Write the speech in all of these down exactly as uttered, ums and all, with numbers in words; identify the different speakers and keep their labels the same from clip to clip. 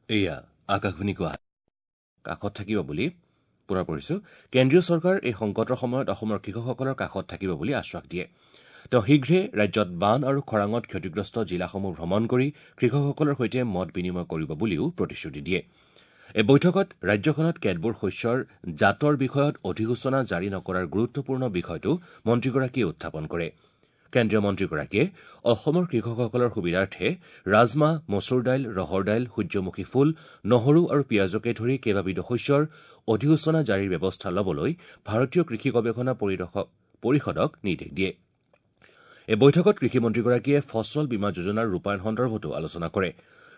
Speaker 1: এয়া আকাশবাণী গুৱাহাটী কাষত থাকিব বুলি পুনৰ পঢ়িছো। কেন্দ্ৰীয় চৰকাৰ এই সংকটৰ সময়ত অসমৰ কৃষকসকলৰ কাষত থাকিব বুলি আশ্বাস দিয়ে। তেওঁ শীঘ্ৰে ৰাজ্যত বান আৰু খৰাঙত ক্ষতিগ্ৰস্ত জিলাসমূহ ভ্ৰমণ কৰি কৃষকসকলৰ সৈতে মত বিনিময় কৰিব বুলিও প্ৰতিশ্ৰুতি দিয়ে। এই বৈঠকত ৰাজ্যখনত কেতবোৰ শস্যৰ জাতৰ বিষয়ত অধিসূচনা জাৰি নকৰাৰ গুৰুত্বপূৰ্ণ বিষয়টো মন্ত্ৰীগৰাকীয়ে উত্থাপন কৰে। কেন্দ্ৰীয় মন্ত্ৰীগৰাকীয়ে অসমৰ কৃষকসকলৰ সুবিধাৰ্থে ৰাজমাহ, মচুৰ দাইল, ৰহৰ দাইল, সূৰ্যমুখী ফুল, নহৰু আৰু পিয়াজকে ধৰি কেইবাবিধো শস্যৰ অধিসূচনা জাৰিৰ ব্যৱস্থা ল'বলৈ ভাৰতীয় কৃষি গৱেষণা পৰিষদক নিৰ্দেশ দিয়ে। এই বৈঠকত কৃষিমন্ত্ৰীগৰাকীয়ে ফচল বীমা যোজনাৰ ৰূপায়ণ সন্দৰ্ভতো আলোচনা কৰে।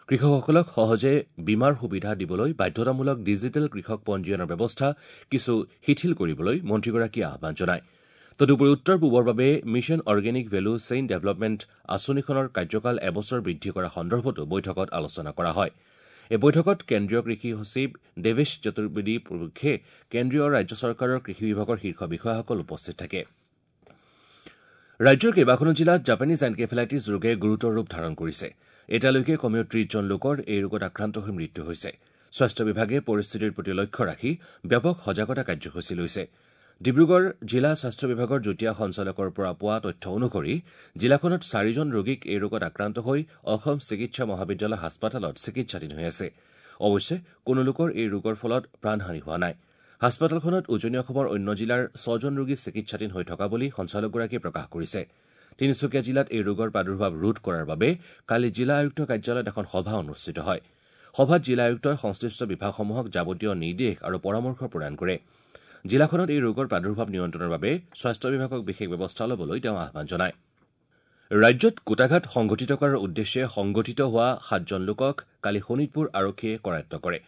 Speaker 1: কৃষকসকলক সহজে বীমাৰ সুবিধা দিবলৈ বাধ্যতামূলক ডিজিটেল কৃষক পঞ্জীয়নৰ ব্যৱস্থা কিছু শিথিল কৰিবলৈ মন্ত্ৰীগৰাকীয়ে আহ্বান জনায়। তদুপৰি উত্তৰ পূবৰ বাবে mission organic value chain development আঁচনিখনৰ কাৰ্যকাল এবছৰ বৃদ্ধি কৰা সন্দৰ্ভতো বৈঠকত আলোচনা কৰা হয়। এই বৈঠকত কেন্দ্ৰীয় কৃষি সচিব দেৱেশ চতুৰ্বেদী প্ৰমুখ্যে কেন্দ্ৰীয় ৰাজ্য চৰকাৰৰ কৃষি বিভাগৰ শীৰ্ষ বিষয়াসকল উপস্থিত থাকে। ৰাজ্যৰ কেইবাখনো জিলাত জাপানীজ এনকেফেলাইটিছ ৰোগে গুৰুতৰ ৰূপ ধাৰণ কৰিছে। এতিয়ালৈকে কমেও ত্ৰিশজন লোকৰ এই ৰোগত আক্ৰান্ত হৈ মৃত্যু হৈছে। স্বাস্থ্য বিভাগে পৰিস্থিতিৰ প্ৰতি লক্ষ্য ৰাখি ব্যাপক সজাগতা কাৰ্যসূচী লৈছে। ডিব্ৰুগড় জিলা স্বাস্থ্য বিভাগৰ যুটীয়া সঞ্চালকৰ পৰা পোৱা তথ্য অনুসৰি জিলাখনত চাৰিজন ৰোগীক এই ৰোগত আক্ৰান্ত হৈ অসম চিকিৎসা মহাবিদ্যালয় হাস্পতালত চিকিৎসাধীন হৈ আছে। অৱশ্যে কোনো লোকৰ এই ৰোগৰ ফলত প্ৰাণহানি হোৱা নাই। হাস্পতালখনত উজনি অসমৰ অন্য জিলাৰ ছজন ৰোগী চিকিৎসাধীন হৈ থকা বুলি সঞ্চালকগৰাকীয়ে প্ৰকাশ কৰিছে। তিনিচুকীয়া জিলাত এই ৰোগৰ প্ৰাদুৰ্ভাৱ ৰোধ কৰাৰ বাবে কালি জিলা আয়ুক্ত কাৰ্যালয়ত এখন সভা অনুষ্ঠিত হয়। সভাত জিলা আয়ুক্তই সংশ্লিষ্ট বিভাগসমূহক যাৱতীয় নিৰ্দেশ আৰু পৰামৰ্শ প্ৰদান কৰে। জিলাখনত এই ৰোগৰ প্ৰাদুৰ্ভাৱ নিয়ন্ত্ৰণৰ বাবে স্বাস্থ্য বিভাগক বিশেষ ব্যৱস্থা ল'বলৈ তেওঁ আহ্বান জনায়। ৰাজ্যত কূটাঘাত সংঘটিত কৰাৰ উদ্দেশ্যে সংগঠিত হোৱা সাতজন লোকক কালি শোণিতপুৰ আৰক্ষীয়ে কৰায়ত্ব কৰে।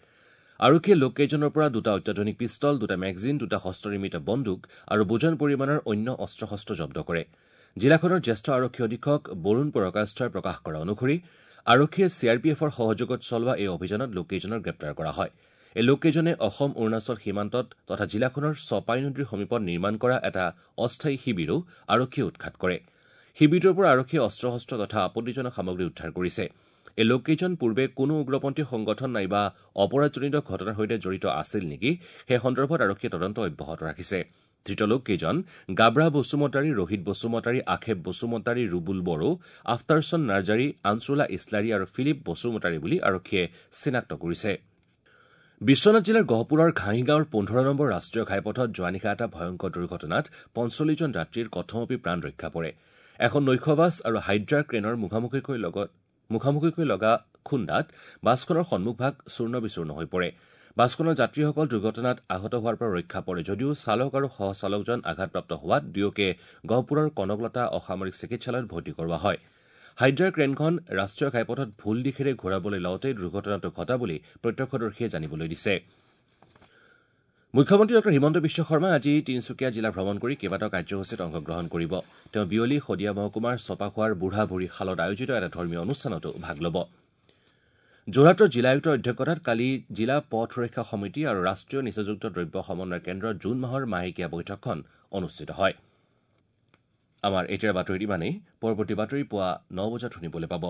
Speaker 1: আৰক্ষীয়ে লোককেইজনৰ পৰা দুটা অত্যাধুনিক পিষ্টল, দুটা মেগজিন, দুটা হস্তনিৰ্মিত বন্দুক আৰু বুজন পৰিমাণৰ অন্য অস্ত্ৰ শস্ত্ৰ জব্দ কৰে। জিলাখনৰ জ্যেষ্ঠ আৰক্ষী অধীক্ষক বৰুণ পৰকাস্থই প্ৰকাশ কৰা অনুসৰি আৰক্ষীয়ে চি আৰ পি এফৰ সহযোগত চলোৱা এই অভিযানত লোককেইজনক গ্ৰেপ্তাৰ কৰা হয়। এই লোককেইজনে অসম অৰুণাচল সীমান্তত তথা জিলাখনৰ চপাই নদীৰ সমীপত নিৰ্মাণ কৰা এটা অস্থায়ী শিবিৰো আৰক্ষীয়ে উৎখাত কৰে। শিবিৰটোৰ পৰা আৰক্ষীয়ে অস্ত্ৰ শস্ত্ৰ তথা আপত্তিজনক সামগ্ৰী উদ্ধাৰ কৰিছে। এই লোককেইজন পূৰ্বে কোনো উগ্ৰপন্থী সংগঠন নাইবা অপৰাধজনিত ঘটনাৰ সৈতে জড়িত আছিল নেকি সেই সন্দৰ্ভত আৰক্ষীয়ে তদন্ত অব্যাহত ৰাখিছে। ধৃত লোককেইজন গাব্ৰা বসুমতাৰী, ৰোহিত বসুমতাৰী, আখেব বসুমতাৰী, ৰুবুল বড়ো, আফতাৰচন নাৰ্জাৰী, আনচুলা ইছলাৰী আৰু ফিলিপ বসুমতাৰী বুলি আৰক্ষীয়ে চিনাক্ত কৰিছে। বিশ্বনাথ জিলাৰ গহপুৰৰ ঘাঁহিগাঁৱৰ পোন্ধৰ নম্বৰ ৰাষ্ট্ৰীয় ঘাইপথত যোৱা নিশা এটা ভয়ংকৰ দুৰ্ঘটনাত পঞ্চল্লিছজন যাত্ৰীৰ কথমপি প্ৰাণ ৰক্ষা পৰে। এখন নৈশ বাছ আৰু হাইড্ৰা ক্ৰেনৰ মুখামুখিকৈ লগত মুখামুখিকৈ লগা খুন্দাত বাছখনৰ সন্মুখভাগ চূৰ্ণ বিচূৰ্ণ হৈ পৰে। বাছখনৰ যাত্ৰীসকল দুৰ্ঘটনাত আহত হোৱাৰ পৰা ৰক্ষা পৰে যদিও চালক আৰু সহচালকজন আঘাতপ্ৰাপ্ত হোৱাত দুয়োকে গহপুৰৰ কনকলতা অসামৰিক চিকিৎসালয়ত ভৰ্তি কৰোৱা হয়। হাইড্ৰা ক্ৰেনখন ৰাষ্ট্ৰীয় ঘাইপথত ভুল দিশেৰে ঘূৰাবলৈ লওঁতেই দুৰ্ঘটনাটো ঘটা বুলি প্ৰত্যক্ষদৰ্শীয়ে জানিবলৈ দিছে। মুখ্যমন্ত্ৰী ডঃ হিমন্ত বিশ্ব শৰ্মাই আজি তিনিচুকীয়া জিলা ভ্ৰমণ কৰি কেইবাটাও কাৰ্যসূচীত অংশগ্ৰহণ কৰিব। তেওঁ বিয়লি শদিয়া মহকুমাৰ চপাখোৱাৰ বুঢ়া ভুৰী শালত আয়োজিত এটা ধৰ্মীয় অনুষ্ঠানতো ভাগ ল'ব। যোৰহাটৰ জিলা আয়ুক্তৰ অধ্যক্ষতাত কালি জিলা পথ সুৰক্ষা সমিতি আৰু ৰাষ্ট্ৰীয় নিচাযুক্ত দ্ৰব্য সমন্বয় কেন্দ্ৰৰ জুন মাহৰ মাহেকীয়া বৈঠকখন অনুষ্ঠিত হয়। আমাৰ এতিয়াৰ বাতৰিত ইমানেই। পৰৱৰ্তী বাতৰি পুৱা ন বজাত শুনিবলৈ পাব।